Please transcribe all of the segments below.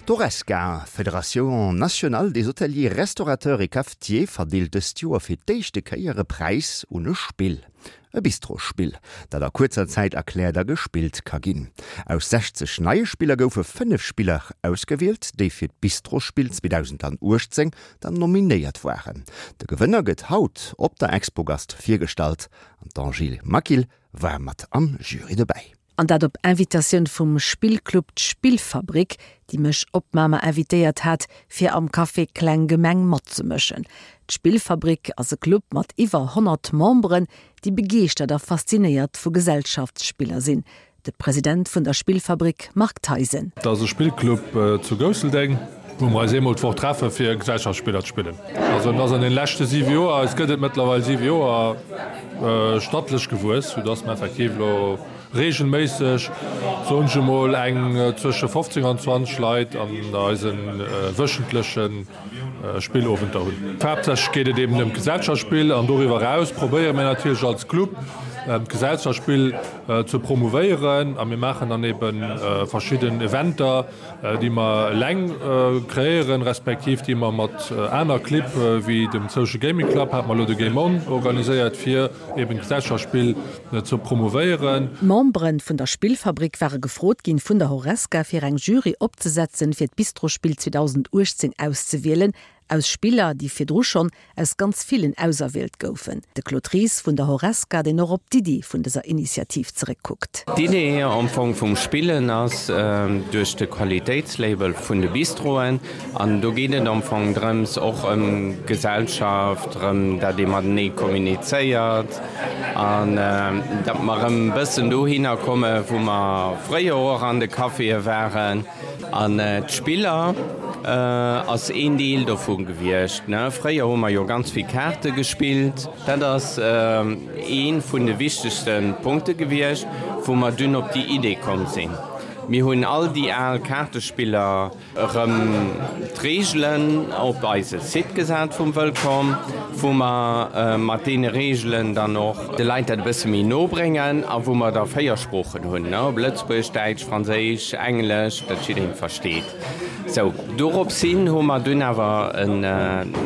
D'Horesca, Fédération nationale des hôteliers, restaurateurs et cafetiers, verdeelt dëst Joer fir d'éischte Kéier e Präis un e Spill. E Bistrospill, dat a kuerzer Zäit erkläert a gespillt ka ginn. Aus 60 neie Spiller goufe 5 Spiller ausgewielt, déi fir d'Bistrospill 2018 dann nominéiert waren. De Gewënner gëtt haut op der Expogast virgestallt an d'Angèle Maquil war mat am Jury dobäi. An dat op Invitatioun vum Spillclub D'Spillfabrik, déi mech op Mamer invitéiert hat, fir am Café Kleng Gemeng matzemëschen. D'Spillfabrik ass e Club mat iwwer 100 Memberen, déi begeeschtert a faszinéiert vu Gesellschaftsspiller sinn. De President vun der Spillfabrik Marc Theisen. Dat ass e Spillclub zu Gousseldeng, wou mer eis eemol d'Woch treffe fir Gesellschaftsspiller ze spillen. Also en ass an den leschte 7 Joer, eis gëtt et mëttlerweil 7 Joer, stattlech gewuess, soudass mer effektiv elo reegelméisseg, soen ech emol, eng zwësche 15 an 20 Leit an eise wöchentleche Spillowenter hunn. Haaptsächlech geet et eben ëm d'Gesellschaftsspill an doriwwer eraus probéiere mir natierlech als Club d'Gesellschaftsspill ze promouvéieren a mir maachen dann ebe verschidden Eventer, déi mer eleng kreéieren, respektiv déi mer mat aner Clibb wéi dem Social Gaming Club, hate mer elo de Game On organiséiert, fir eben d'Gesellschaftsspill ze promouvéieren. D'Membere vun der Spillfabrik ware gefrot ginn vun der Horesca fir eng Jury opzesetzen fir d'Bistrospill 2018 auszewielen, aus Spiller déi virdru schonn aus ganz villen auserwielt goufen. De Claude Ries vun der Horesca, deen och op d'Iddi vun dëser Initiativ zeréckkuckt. D'Idee am Fong vum Spillen ass duerch de Qualitéitslabel vun de Bistroen an do geet et am Fong drëms och ëm Gesellschaft, drëm dat ee matenee kommunizéiert an datt mer erëm e bëssen dohinner komme wou mer fréier och an de Caféë waren. An d'Spiller ass een Deel dovu gewiescht. Fréier hu mer jo ganz vill Kaarte gespillt. Dat ass ee vun de wichtegste Punkte gewiescht, wou mer dunn op déi Idee komm sinn. Mir hunn all déi al Kaartespiller erëm d'Reegelen op eise Site gesat vum Wëllkomm, wou mer mat deene Reegelen dann och de Leit dat e bësse méi no bréngen a wou mer da 4 Sproochen hunn, op Lëtzebuergesch, Däitsch, Franséisch, Englesch, dat jiddereen versteet. Sou, dorops hin hu mer dunn awer en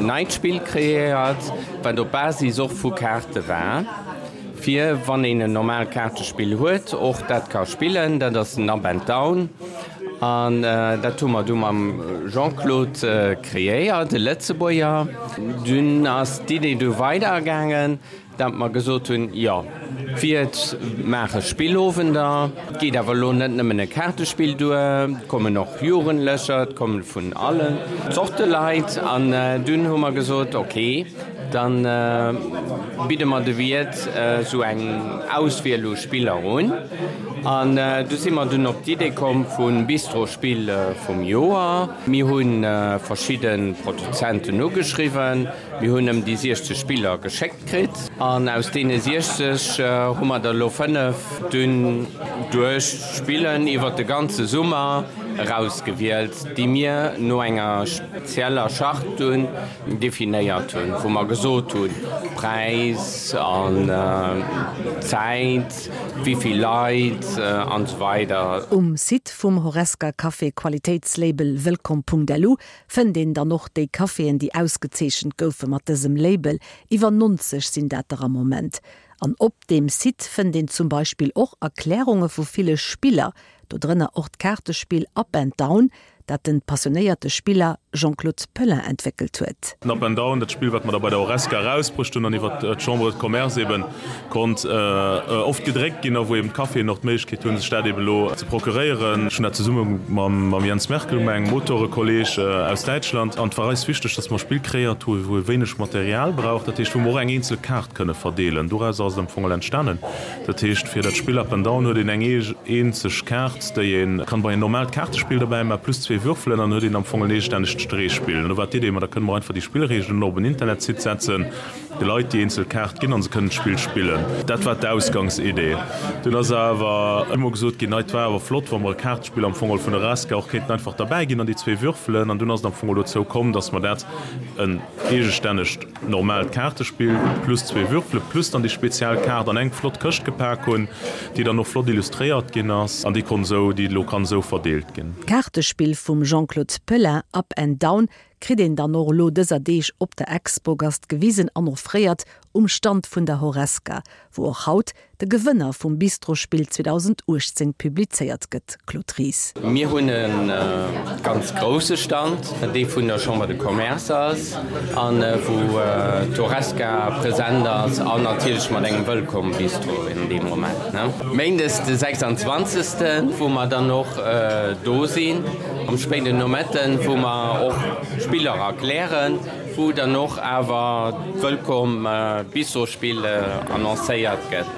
neit Spill kreéiert, wat op Basis och vu Kaarte war, fir wann een en normaalt Kaartespill huet, och dat ka spillen. Dat ass den Up and Down an dat hu mer du mam Jean-Claude kreéiert, e Lëtzebuerger. Dunn ass d'Idee du weidergaangen, Dat mer gesot hunn, jo, d'Wiert maache Spillowender, et geet awer elo net nëmmen e Kaartespill duer, et kommen och Jugendlecher, et komme vun allen Zorte Leit. An dunn hu mer gesot, ok, da bidde mer de Wiert esou eng Auswiel u Spiller un. An du si mer dunn op d'Idee komm vum Bistrospill vum Joer. Mir hu verschidde Produzenten ugeschriwwen. Mir hunn ëm déi 60 Spiller geschéckt kritt an aus deene 60 hu mer der elo 5 dunn duerch d'Spillen iwwert de ganze Summer erausgewielt, déi mir no enger spezieller Charte dunn definéiert hunn, wou mer gesot hunn, Präis an Zäit, wéi vill Leit an esou weider. Um Site vum Horesca Café Qualitéitslabel Wëllkomm.lu Fënnt een dann och déi Caféen, déi ausgezeechent goufe mat dësem Label, iwwer 90 sinn dat der am Moment. An op deem Site fënnt een zum Beispill och Erklärunge vu ville Spiller, dodrënner och d'Kaartespill Up and Down, dat den passionéierte Spiller Jean-Claude Pellin entwéckelt huet. Den Up and Down, dat Spill wat mer da bei der Horesca erausbruecht hunn an iwwer d'Chambre de Commerce eben konnt oft gedréckt ginn a wou eben d'Caféen och d'Méiglechkeet hunn, sech dat eben elo ze procuréieren. Ech hunn dat zesumme mam Jens Merkel gemaach, engem Motorekolleg aus Däitschland. An et war eis wichteg, dass mer e Spill kreéiert hu wou ee wéineg Material brauch, dat heescht wou mer och eng eenzel Kaart kënne verdeelen. Doraus ass et am Fong all entstanen. Dat heescht, fir dat Spill Up and Down huet een eng eenzeg Kaart, déi ee kann bei en normaalt Kaartespill derbäi maachen, plus zwee Würfelen, an dann huet een am Fong en eegestännegt Streechspill. An do war d'Idee, ma da kënne mer einfach déi Spillreegelen och op en Internetsite setzen, de Leit déi eenzel Kaart ginn an se kënnen d'Spill spillen. Dat war d'Ausgangsidee. Dunn ass awer ëmmer gesot ginn, Ei, et war awer flott, wa mer e Kaartespill am Fong vun der Raska och kéinten einfach derbäi ginn an déi zwee Würfelen. An dunn ass et am Fong dozou komm, dass mer dat en eegestännegt Normaalt Kaartespill plus zwee Würfele plus dann déi speziell Kaart an eng flott Këscht gepak hunn, déi dann och flott illustréiert ginn ass an déi Konsol. esou, déi elo kann esou verdeelt ginn. D'Kaartespill vum Jean-Claude Pelin Up and Down kritt een dann och elo dëser Deeg op der Expogast gewisen an offréiert um Stand vun der Horesca, wou och haut de Gewënner vum Bistrospill 2018 publizéiert gëtt. Claude Ries. Mir hunn e ganz grousse Stand, dee vun der Chambre de Commerce ass a wou d'Horesca present ass an natierlech mat engem Wëllkomm-Bistro in deem Moment. Méindes de 26. Wou mer dann och do sinn am spéiden Nometten, wou mer och Spiller erklären, wou dann och awer d'Wëllkomm Bistrospill annoncéiert gëtt.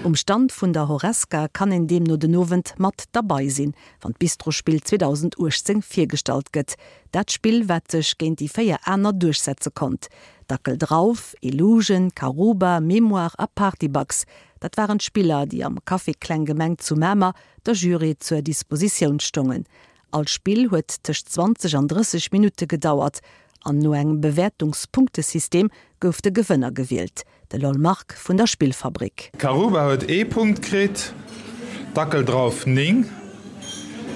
Um Stand vun der Horesca kann een deemno den Owend mat derbei sinn, wann d'Bistrospill 2018 virgestallt gëtt. Dat Spill, wat sech géint déi 4 aner duerchsetze konnt. Dackel drauf, Illusion, Karuba, Mémoire a Partybugs, dat waren d'Spiller, déi am Café Kleng Gemeng zu Mamer der Jury zur Dispositioun stongen. All Spill huet tëscht 20 an 30 Minutte gedauert an no engem Bewäertungspunktesystem gouf de Gewënner gewielt, de Lol Marc vun der Spillfabrik. Karuba huet ee Punkt kritt, Dackel drauf 9,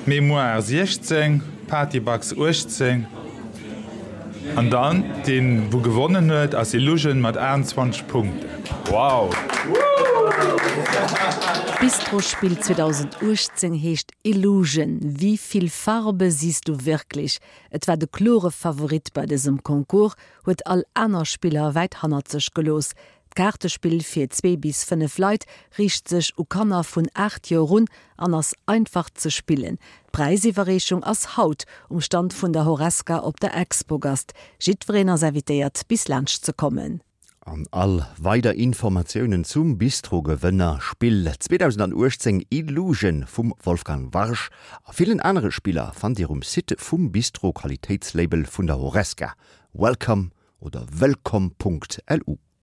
Mémoire 16, Partybugs 18 an dann deen wou gewonnen huet ass Illusion mat 28 Punkten. Wow! D'Bistrospill 2018 heescht Illusion, Wie viel Farbe siehst du wirklich? Et war de klore Favorit bei dësem Concours, huet all aner Spiller wäit hannert sech gelooss. D'Kaartespill fir zwee bis 5 Leit riicht sech u Kanner vun 8 Joer un an ass einfach ze spillen. D'Präisiwwerreechung ass haut um Stand vun der Horesca op der Expogast. Jiddwereen ass invitéiert bis laanscht ze kommen. An all weider Informatiounen zum Bistro-Gewënner Spill 2018 Illusion vum Wolfgang Warsch a villen anere Spiller fannt Dir um Site vum Bistro Qualitéitslabel vun der Horesca, welcome oder wëllkomm.lu.